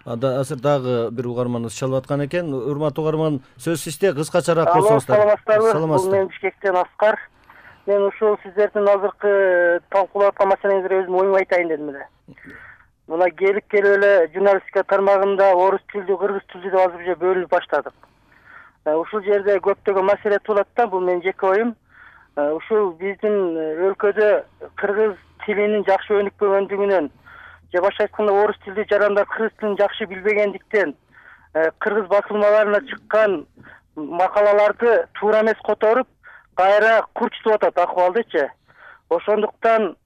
Азыр дагы бир угарманыбыз чалып аткан экен. Урматтуу угарман, сөз сизде, кыскачараак Алло, болсоңуздар. саламатсыздарбы? Бул мен Бишкектен Аскар. Мен ушул сиздердин азыркы талкуулап аткан маселеңизге өзүм оюмду айтайын дедим эле. Мына келип эле журналистика тармагында орус тилдүү, кыргыз тилдүү деп азыр уже бөлүнүп баштадык. Ушул жерде көптөгөн маселе туулат да, бул менин жеке оюм. Ушул биздин өлкөдө кыргыз тилинин жакшы өнүкпөгөндүгүнөн же башка айтканда орус тилдүү жарандар кыргыз тилин жакшы билбегендиктен кыргыз басылмаларына чыккан макалаларды туура эмес которуп, кайра курчутуп атат акыбалдычы. Ошондуктан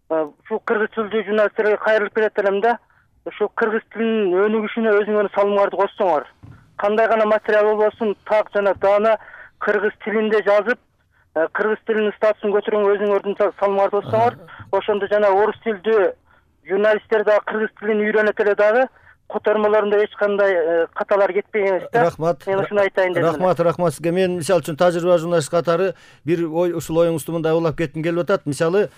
ушул кыргыз тилдүү журналисттерге кайрылып келет элем да, ушул кыргыз тилинин өнүгүшүнө өзүңөрдүн салымыңарды кошсоңор. Кандай гана материал болбосун, так жана даана кыргыз тилинде жазып, кыргыз тилинин статусун көтөргөнгө өзүңөрдүн салымыңарды кошсоңор, ошондо жана орус тилдүү журналисттер дагы кыргыз тилин үйрөнөт эле дагы, котормолорунда эч кандай каталар кетпеген эмес да. Рахмат. Мен ушуну айтайын дедим. Рахмат сизге. Мен мисалы үчүн тажрыйба журналист катары бир ушул оюңузду мындай улап кетким келип атат. Мисалы,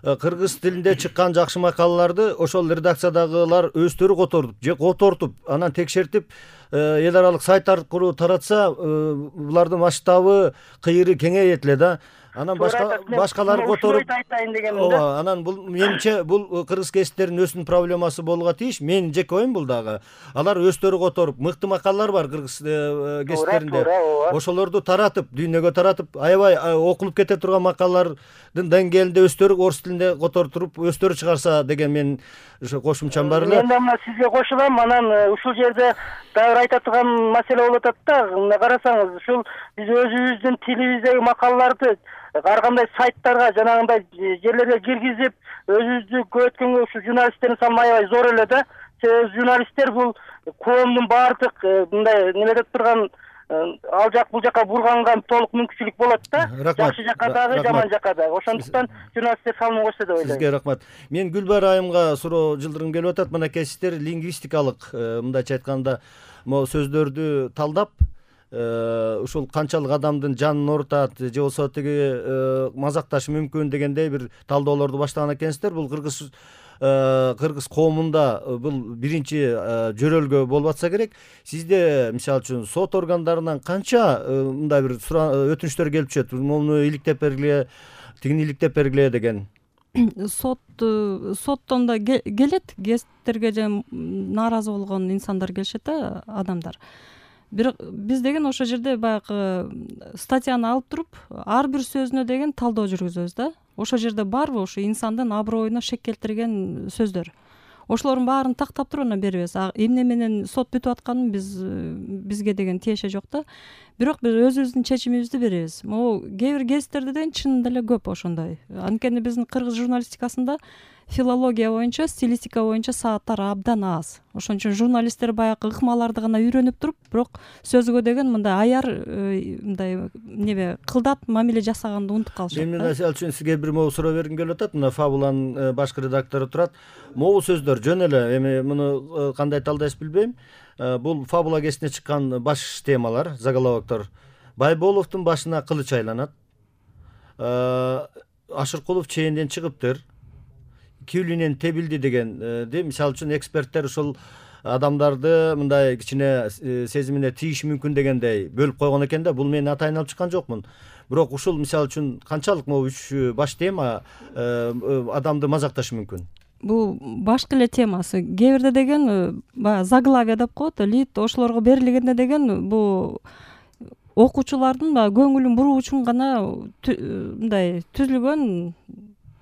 кыргыз тилинде чыккан жакшы макалаларды ошол редакциядагылар өздөрү котортуп, анан текшертип, эл аралык сайт аркылуу таратса, булардын масштабы, кыйыры кеңейет эле да. Анан башкалар которуп айтайын дегенмин да. Ооба, анан бул менимче бул кыргыз кесиптеринин өзүнүн проблемасы болууга тийиш. Менин жеке оюм бул дагы. Алар өздөрү которуп, мыкты макалалар бар кыргыз кесиптеринде. Ошолорду таратып, дүйнөгө таратып, аябай окулуп кете турган макалалардын деңгээлинде өздөрү орус тилинде которуп, өздөрү чыгарса деген мен ошо кошумчам бар эле. Мен дагы сизге кошулам. Анан ушул жерде дагы айта турган маселе болуп атат да. Мына карасаңыз, ушул биз өзүбүздүн тилибиздеги макалаларды ар кандай сайттарга, жанагындай жерлерге киргизип, өзүбүздү көбөйткөнгө ушул журналисттердин салымы аябай зор эле да. Себеби журналисттер бул коомдун баардык мындай неме деп турган ал жак бул жака бурганга толук мүмкүнчүлүк болот да. Жакшы жака дагы, жаман жака дагы. Ошондуктан журналисттер салымын кошсо деп ойлойм. Сизге рахмат. Мен Гүлбайыр айымга суроо жылдыргым келип атат. Мынакей сиздер лингвистикалык, мындайча айтканда, могу сөздөрдү талдап, ушул канчалык адамдын жанын оорутат же болбосо тиги мазакташы мүмкүн дегендей бир талдоолорду баштаган экенсиздер. Бул кыргыз коомунда бул биринчи жөрөлгө болуп атса керек. Сизде мисалы үчүн сот органдарынан канча мындай бир өтүнүчтөр келип түшөт? Муну иликтеп бергиле, тигини иликтеп бергиле деген. Соттон да келет, гесттерге же нааразы болгон инсандар келишет да, адамдар. Биз деген ошол жерде баягы статьяны алып туруп, ар бир сөзүнө деген талдоо жүргүзөбүз да. Ошол жерде барбы ушу инсандын аброюна шек келтирген сөздөр. Ошолордун баарын тактап туруп анан беребиз. Эмне менен сот бүтүп атканын бизге деген тиеше жок да. Бирок биз өзүбүздүн чечимибизди беребиз. Могу кээ бир кездерде деген чынында эле көп ошондой. Анткени биздин кыргыз журналистикасында филология боюнча, стилистика боюнча сааттар абдан аз. Ошон үчүн журналисттер баягы ыкмаларды гана үйрөнүп туруп, бирок сөзгө деген мындай аяр, мындай небе кылдат мамиле жасаганды унутуп калышат. Мен мисалы үчүн сизге бир могу суроо бергим келип атат. Мына Фабуланын башкы редактору турат. Могу сөздөр жөн эле, эми муну кандай талдайсыз билбейм. Бул Фабула гезитине чыккан баш темалар, заголовоктор. Байболовдун башына кылыч айланат. Ашыркулов чейинден чыгыптыр. Күүлүнөн тебилди дегенди. Мисалы үчүн эксперттер ушул адамдарды мындай кичине сезимине тийиши мүмкүн дегендей бөлүп койгон экен да. Бул мен атайын алып чыккан жокмун. Бирок ушул мисалы үчүн канчалык могу 3 баш тема адамды мазакташы мүмкүн? Бул башкы эле темасы. Кээ бирде деген баягы заглавие деп коет, лид ошолорго берилгенде деген бул окуучулардын көңүлүн буруу үчүн гана мындай түзүлгөн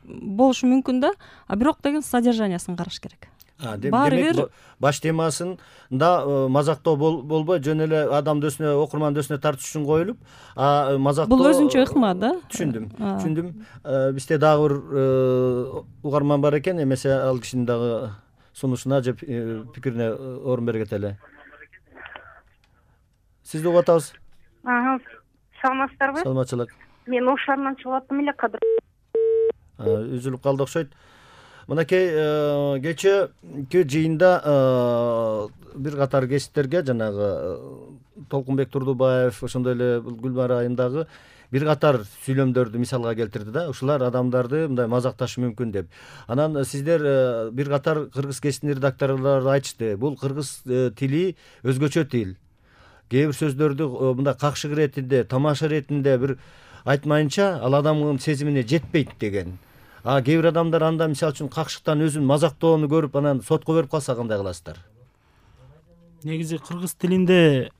болушу мүмкүн да. Бирок деген содержаниясын караш керек. Демек баш темасында мазактоо болбой, жөн эле адам дөсүнө, окурман дөсүнө тартыш үчүн коюлуп, мазактоо бул өзүнчө ыкма да. Түшүндүм. Бизде дагы бир угарман бар экен, эмесе ал кишинин дагы сунушуна же пикирине орун бергиле эле. Сизди угуп атабыз. Саламатсыздарбы? Саламатчылык. Мен Ош шаарынан чыгып аттым эле кадыр. Үзүлүп калды окшойт. Мынакей кечээки жыйында бир катар кесиптерге, жанагы Толкунбек Турдубаев, ошондой эле Гүлбайыр айымдагы бир катар сүйлөмдөрдү мисалга келтирди да, ушулар адамдарды мындай мазакташы мүмкүн деп. Анан сиздер бир катар кыргыз гезитинин редакторлору айтышты, бул кыргыз тили өзгөчө тил. Кээ бир сөздөрдү мындай какшык иретинде, тамаша иретинде бир айтмайынча ал адамдын сезимине жетпейт деген. А кээ бир адамдар анда мисалы үчүн какшыктан өзүн мазактоону көрүп анан сотко берип калса кандай кыласыздар? Негизи кыргыз тилинде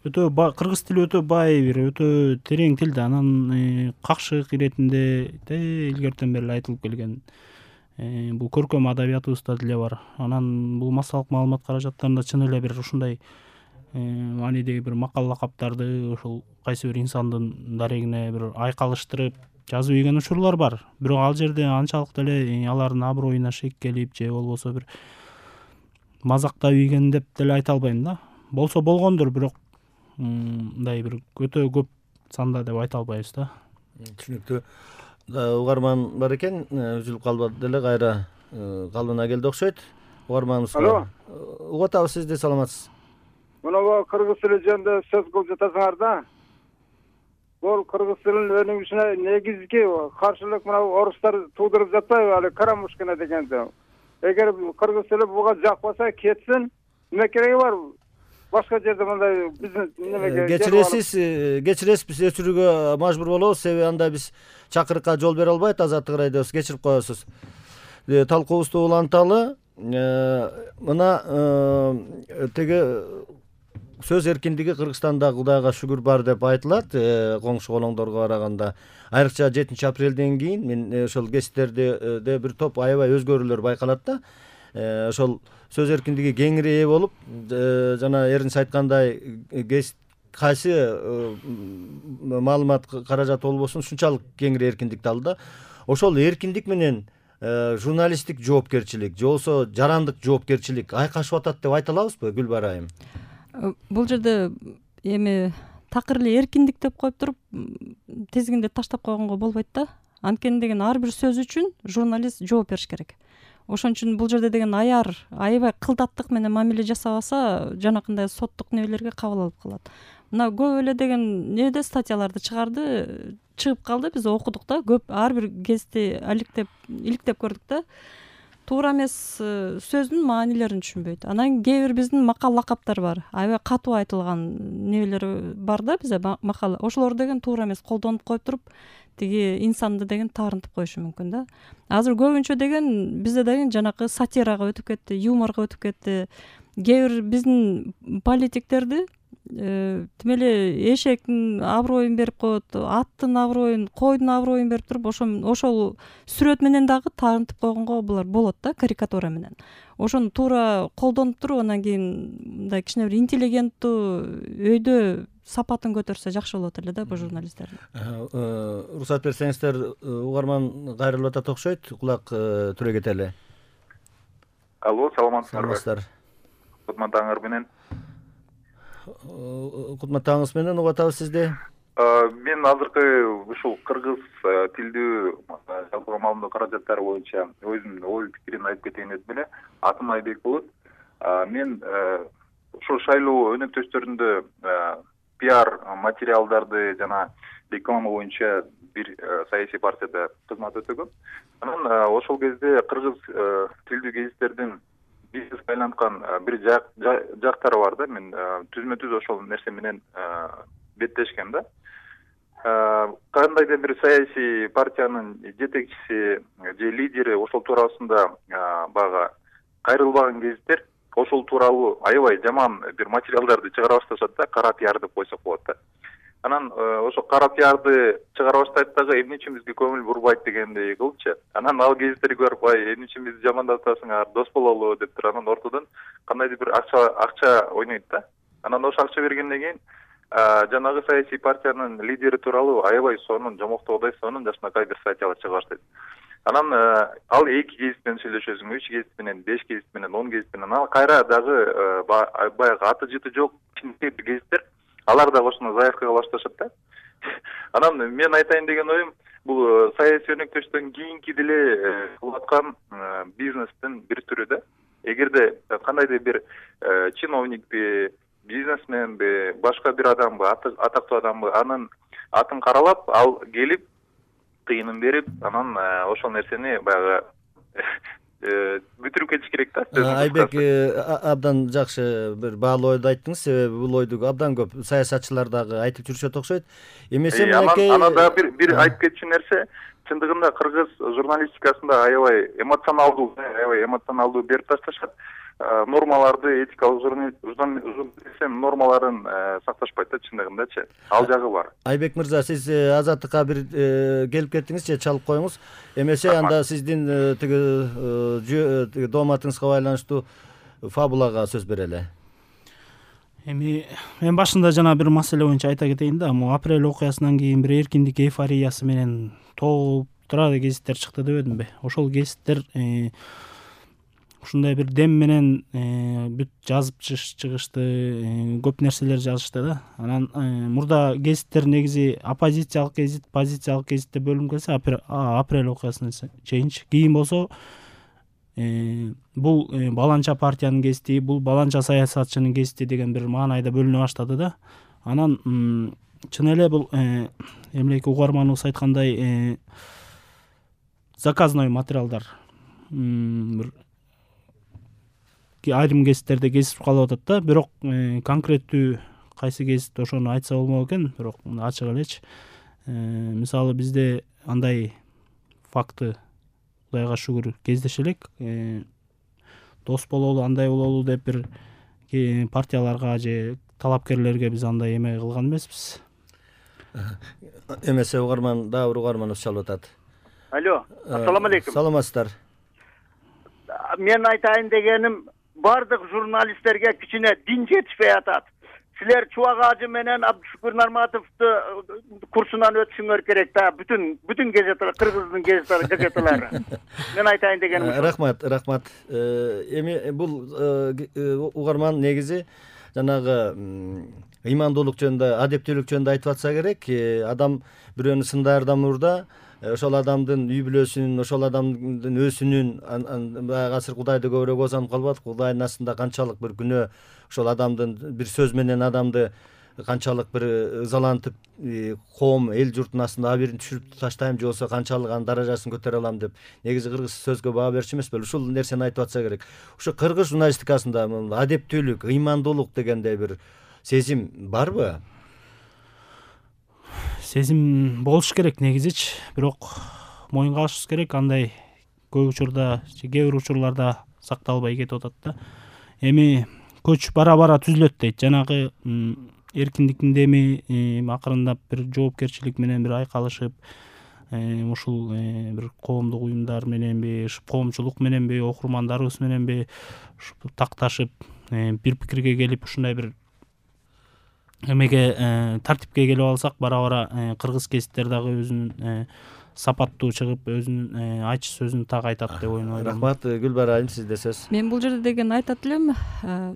кыргыз тили өтө бай, бир өтө терең тил да. Анан какшык иретинде илгертен бери айтылып келген бул көркөм адабиятыбызда деле бар. Анан бул массалык маалымат каражаттарында чын эле бир ушундай маанидеги бир макал лакаптарды ошол кайсы бир инсандын дарегине бир айкалыштырып жазып ийген учурлар бар. Бирок ал жерде анчалык деле алардын аброюна шек келип же болбосо бир мазактап ийген деп деле айта албайм да. Болсо болгондур, бирок мындай бир өтө көп санда деп айта албайбыз да. Түшүнүктүү. Угарман бар экен, үзүлүп калбады деле, кайра калыбына келди окшойт. Угарманыбыз. Алло. Угуп атабыз, сиз де саламатсыз. Мына кыргыз тили жөнүндө сөз кылып жатасыңар да. Бул кыргыз тилинин өнүгүшүнө негизги каршылык мына орустар туудуруп жатпайбы, али Карамушкина дегенди. Эгер кыргыз тили буга жакпаса кетсин, эмне кереги бар? Башка жерде мындай бизнес немеге кечиресиз, биз өчүрүүгө мажбур болобуз, себеби анда биз чакырыкка жол бере албайт, Азаттык радиосу, кечирип коесуз. Талкуубузду уланталы. Мына теге сөз эркиндиги Кыргызстанда Кудайга шүгүр бар деп айтылат, коңшу колоңдорго караганда. Айрыкча 7 апрелден кийин мен ошол гезиттерде бир топ аябай өзгөрүүлөр байкалат да. Ошол сөз эркиндиги кеңири ээ болуп, жана эринче айткандай гезит кайсы маалымат каражаты болбосун ушунчалык кеңири эркиндикти алды да. Ошол эркиндик менен журналисттик жоопкерчилик, же болбосо жарандык жоопкерчилик айкашып атат деп айта алабызбы, Гүлбара айым? Бул жерде эми такыр эле эркиндик деп коюп туруп тизгинде таштап койгонго болбойт да. Анткени деген ар бир сөз үчүн журналист жооп бериш керек. Ошон үчүн бул жерде деген аябай кылдаттык менен мамиле жасабаса, жанакындай соттук небелерге кабыл алып калат. Мына көп эле деген неде статьяларды чыгып калды, биз окудук да, көп ар бир гезитти иликтеп көрдүк да. Туура эмес сөздүн маанилерин түшүнбөйт. Анан кээ бир биздин макал лакаптар бар. Аябай катуу айтылган небелер бар да бизде макал. Ошолор деген туура эмес колдонуп коюп туруп, тиги инсанды деген таарынтып коюшу мүмкүн да. Азыр көбүнчө деген бизде деген жанакы сатирага өтүп кетти, юморго өтүп кетти. Кээ бир биздин политиктерди тим эле эшектин аброюн берип коет, аттын аброюн, койдун аброюн берип туруп, ошол сүрөт менен дагы таарынтып койгонго булар болот да, карикатура менен. Ошону туура колдонуп туруп, анан кийин мындай кичине бир интеллигенттүү өйдө сапатын көтөрсө жакшы болот эле да бул журналисттердин. Уруксат берсеңиздер, угарман кайрылып атат окшойт, кулак түрө кетели. Алло, саламатсыздарбы? Саламатсыздар. Кутмандагыңар менен. Кутмандагыңыз менен угуп атабыз сизди. Мен азыркы ушул кыргыз тилдүү жалпыга маалымат каражаттары боюнча өзүмдүн ой пикиримди айтып кетейин деп эле. Атым Айбек болот. Мен ошол шайлоо өнөктөштөрүндө пиар материалдарды жана реклама боюнча бир саясий партияда кызмат өтөгөм. Анан ошол кезде кыргыз тилдүү гезиттердин бизнеске айланткан бир жактары бар да. Мен түзмө-түз ошол нерсе менен беттешкем да. Кандайдыр бир саясий партиянын жетекчиси же лидери ошол туурасында баягы кайрылбаган гезиттер ошол тууралуу аябай жаман бир материалдарды чыгара башташат да, кара пиар деп койсок болот да. Анан ошо кара пиарды чыгара баштайт дагы, эмне үчүн бизге көңүл бурбайт дегендей кылыпчы. Анан ал гезиттерди көрүп, эмне үчүн бизди жамандап атасыңар, дос бололу деп туруп, анан ортодон кандайдыр бир акча ойнойт да. Анан ошо акча бергенден кийин жанагы саясий партиянын лидери тууралуу аябай сонун, жомоктобой сонун жакшынакай бир статьялар чыга баштайт. Анан ал 2 гезит менен сүйлөшөсүң, 3 гезит менен, 5 гезит менен, 10 гезит менен, ал кайра дагы баягы аты жыты жок кичинекей гезиттер, алар да ошону заявкага башташат да. Анан мен айтайын деген оюм, бул саясий өнөктөштөн кийинки деле кылып аткан бизнестин бир түрү да. Эгерде кандайдыр бир чиновникти бизнесменби, башка бир адамбы, атактуу адамбы, анын атын каралап, ал келип тыйынын берип, анан ошол нерсени баягы бүтүрүп кетиш керек да. Айбек, абдан жакшы бир баалуу ойду айттыңыз, себеби бул ойду абдан көп саясатчылар дагы айтып жүрүшөт окшойт. Эмесе мынакей анан дагы бир айтып кетчү нерсе, чындыгында кыргыз журналистикасында аябай эмоционалдуу берип ташташат. Нормаларды, этикалык журнализм нормаларын сакташпайт да, чындыгындачы. Ал жагы бар. Айбек мырза, сиз Азаттыкка бир келип кеттиңиз же чалып коюңуз. Эмесе анда сиздин тиги дооматыңызга байланыштуу фабулага сөз берели. Эми мен башында жана бир маселе боюнча айта кетейин да, могу апрель окуясынан кийин бир эркиндик эйфориясы менен толуп турат гезиттер чыкты дебедимби? Ошол гезиттер ушундай бир дем менен бүт жазып чыгышты, көп нерселер жазышты да. Анан мурда гезиттер негизи оппозициялык гезит, позициялык гезитте бөлүнүп келсе, апрель окуясына чейинчи. Кийин болсо бул баланча партиянын гезити, бул баланча саясатчынын гезити деген бир маанайда бөлүнө баштады да. Анан чын эле бул эмнеки угарманыбыз айткандай заказной материалдар бир айрым гезиттерде кезип калып атат да. Бирок конкреттүү кайсы гезит ошону айтса болмок экен, бирок ачык элечи. Мисалы бизде андай факты Кудайга шүгүр кездеше элек. Дос бололу, андай бололу деп бир партияларга же талапкерлерге биз андай эме кылган эмеспиз. Эмесе угарман, дагы бир угарманыбыз чалып атат. Алло, ассаламу алейкум. Саламатсыздар. Мен айтайын дегеним, бардык журналисттерге кичине дин жетишпей атат. Силер Чубак ажы менен Абдышүкүр Нарматовду курсунан өтүшүңөр керек да, бүтүн газеталар, кыргыздын газеталары. Мен айтайын дегеним. Рахмат. Эми бул угарман негизи жанагы ыймандуулук жөнүндө, адептүүлүк жөнүндө айтып атса керек. Адам бирөөнү сындардан мурда ошол адамдын үй бүлөсүнүн, ошол адамдын өзүнүн баягы азыр Кудайды көбүрөөк озанып калбадык. Кудайдын астында канчалык бир күнөө, ошол адамдын бир сөз менен адамды канчалык бир ызалантып, коом, эл журттун астында абийирин түшүрүп таштайм же болбосо канчалык анын даражасын көтөрө алам деп негизи кыргыз сөзгө баа берчү эмес беле? Ушул нерсени айтып атса керек. Ошо кыргыз журналистикасында адептүүлүк, ыймандуулук дегендей бир сезим барбы? Сезим болуш керек негизичи, бирок моюнга алышыбыз керек, андай көп учурда, кээ бир учурларда сакталбай кетип атат да. Эми көч бара-бара түзүлөт дейт. Жанагы эркиндиктин деми акырындап бир жоопкерчилик менен бир айкалышып, ушул бир коомдук уюмдар мененби, коомчулук мененби, окурмандарыбыз мененби такташып, бир пикирге келип ушундай бир эмеге тартипке келип алсак, бара-бара кыргыз гезиттер дагы өзүнүн сапаттуу чыгып, өзүнүн айтчу сөзүн так айтат деп ойлойм. Рахмат. Гүлбара айым, сизде сөз. Мен бул жерде деген айтат элем,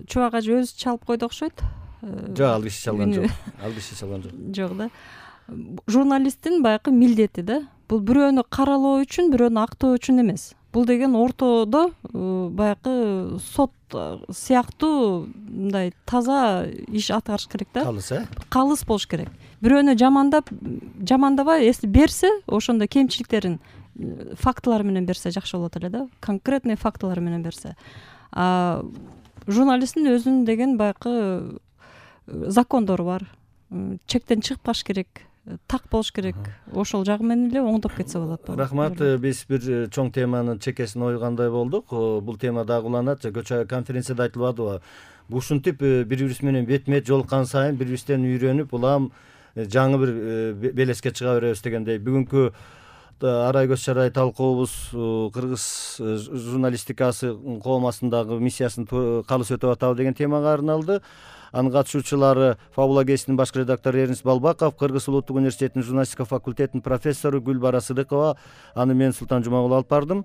Чубак ажы өзү чалып койду окшойт. Жок, ал киши чалган жок. Жок да. Журналисттин баягы милдети да. Бул бирөөнү каралоо үчүн, бирөөнү актоо үчүн эмес. Бул деген ортодо баягы сот сыяктуу мындай таза иш аткарыш керек да. Калыс болуш керек. Бирөөнү жамандабай, если берсе, ошондо кемчиликтерин фактылар менен берсе жакшы болот эле да. Конкретный фактылар менен берсе. Журналисттин өзүнүн деген баягы закондору бар. Чектен чыгып калыш керек, так болуш керек. Ошол жагы менен эле оңдоп кетсе болот. Рахмат. Биз бир чоң теманын чекесин ойгандай болдук. Бул тема дагы уланат. Көчө конференцияда айтылбадыбы? Ушинтип бири-бирибиз менен бет-бет жолуккан сайын бири-бирибизден үйрөнүп, улам жаңы бир белеске чыга беребиз дегендей. Бүгүнкү арай көз чарай талкуубуз кыргыз журналистикасы коомасындагы миссиясын калыс өтүп атабы деген темага арналды. Анын катышуучулары Фабула гезитинин башкы редактору Эрнис Балбаков, Кыргыз улуттук университетинин журналистика факультетинин профессору Гүлбара Сыдыкова, аны мен Султан Жумагул алып бардым.